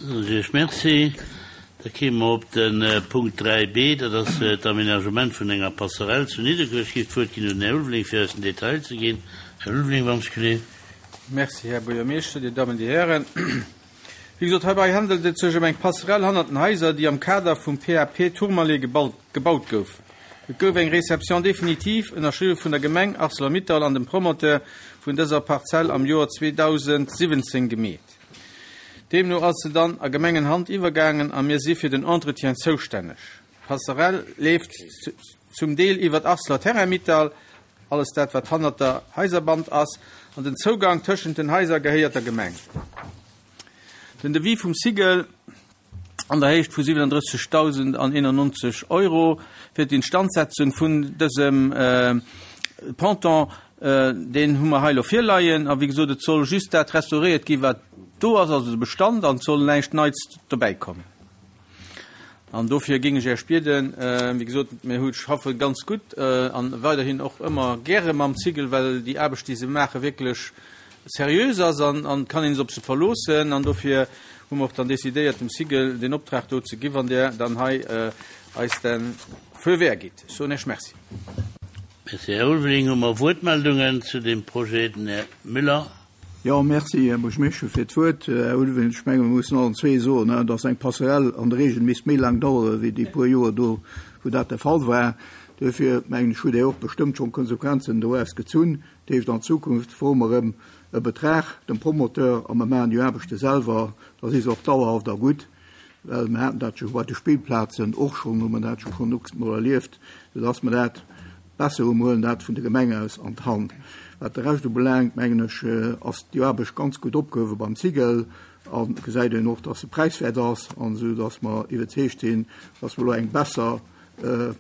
Soen ech Iech Merci. Da kéime mer op de Punkt 3 b, dat ass d'Aménagement vun enger Passerelle zu Nidderkuer. Ech géif d'Wuert ginn un den Här Ulveling, fir eis den Detail ze ginn. Här Ulveling, wann ech geleeft. Merci, Här Buergermeeschter, Dir Dammen, Dir Hären. Wéi gesot, heibäi handelt et sech ëm eng Passerelle hannert den Haiser, déi am Kader vum PAP Tourmalet gebaut gouf. Et gouf eng Réception définitive, ënnerschriwwe vun der Gemeng, Arcelor-Mittal an dem Promoteur vun dëser Parzell am Joer 2017 gemeet. Deemno ass se dann a Gemengenhand iwwergaangen a mir si fir den Entretien zoustänneg. D'Passerelle leeft zum Deel iwwert Arcelor Terrain Mittal, alles dat wat hannert der Haiserband ass, an den Zougang tëschent den Haiser gehéiert der Gemeng. Den Devis vum Sigel an der Héicht vu 37.091 Euro fir d'Instandsetzung vun dësem Ponton, deen hu mer hei elo virleien. A wéi gesot, et soll just dat restauréiert gi wat do ass, also de Bestand, an et soll näischt Neits dobäikommen. An dofir géing ech Iech bieden, wéi gesot, mir hu schaffe ganz gutt an weiderhin och ëmmer gäre mam Cigl, well déi Aarbecht, déi se maachen, wierklech seriös ass an et kann een sech op se verloossen. An dofir hu mer och dann decidéiert, dem Cigl deen Optrag do ze gi wann Der dann hei eis de Feu vert gitt. Ech soen Iech Merci. Merci, Här Ulveling. Hu mer Wuertmeldungen zu deem Projet? Den Här Müller. Jo, merci, Här Buergermeeschter, fir d'Wuert. Här Ulveling, ech menge mir mussen allen zwee soen, dass eng Passerelle an der Regel misst méi laang dauere wéi déi puer Joer do, wou dat de Fall war. Duerfir mengen ech, hutt Dir och bestëmmt schonn Konsequenzen doraus gezunn. Dat heescht, an Zukunft froe mer erëm e Betrag dem Promoteur a mer maachen déi Aarbechte selwer, da si se och dauerhaft a gutt. Well mer haten dat jo bei de Spillplazen och schonn, hu mer dat jo schonn x-mol erlieft, soudass mer dat besser hu, mer huelen dat vun der Gemeng aus an d'Hand. Wat de Rescht ubelaangt, mengen ech, ass déi Aarbecht ganz gutt opgehuewe beim Cigl a gesäit een och, dass se präiswäert ass an esou dass mer iwwerzeegt sinn, dass mer elo eng besser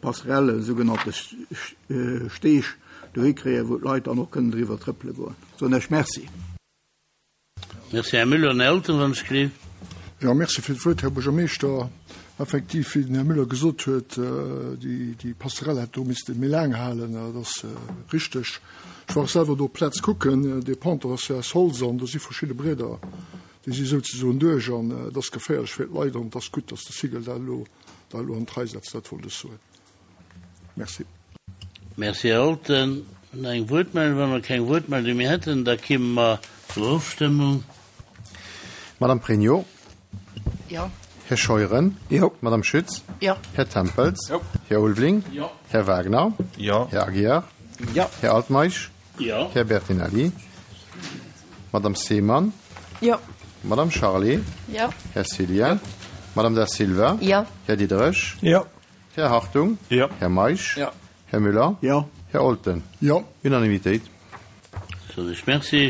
Passerelle, e sougenannte Steg dohi kréien, wou d'Leit dann och kënnen driwwer trëppele goen. Soen ech Merci. Merci, Här Müller. Den Här Elton, wann ech gleef. Jo, merci fir d'Wuert, Här Buergermeeschter. Effektiv, wéi den Här Müller gesot huet, déi Passerelle hätt do misste méi laang halen. Dat ass richteg. Ech war och selwer do op d'Plaz kucken. Dee Ponton ass jo aus Holz an do si verschidde Brieder, déi si souzesoen duerch an et ass geféierlech fir d'Leit an et ass gutt, datt de Cigl dat elo an d'Rei setzt. Dat wollt ech soen. Merci. Merci, Här Olten. Nach eng Wuertmeldung? Wa mer keng Wuertmeldung méi hätten, da kéime mer zur Ofstëmmung. Madame Pregno. Jo. Här Scheuren. Jo. Madame Schütz. Jo. Här Tempels. Jo. Här Ulveling. Jo. Här Wagner. Jo. Här Aguiar. Jo. Här Altmeisch. Jo. Här Bertinelli. Madame Seemann. Jo. Madame Charlé. Jo. Här Cillien. Madame Da Silva. Jo. Här Diderich. Jo. Här Hartung. Jo. Här Meisch. Jo. Här Müller. Jo. Här Olten. Jo. Unanimitéit. Soen ech Merci.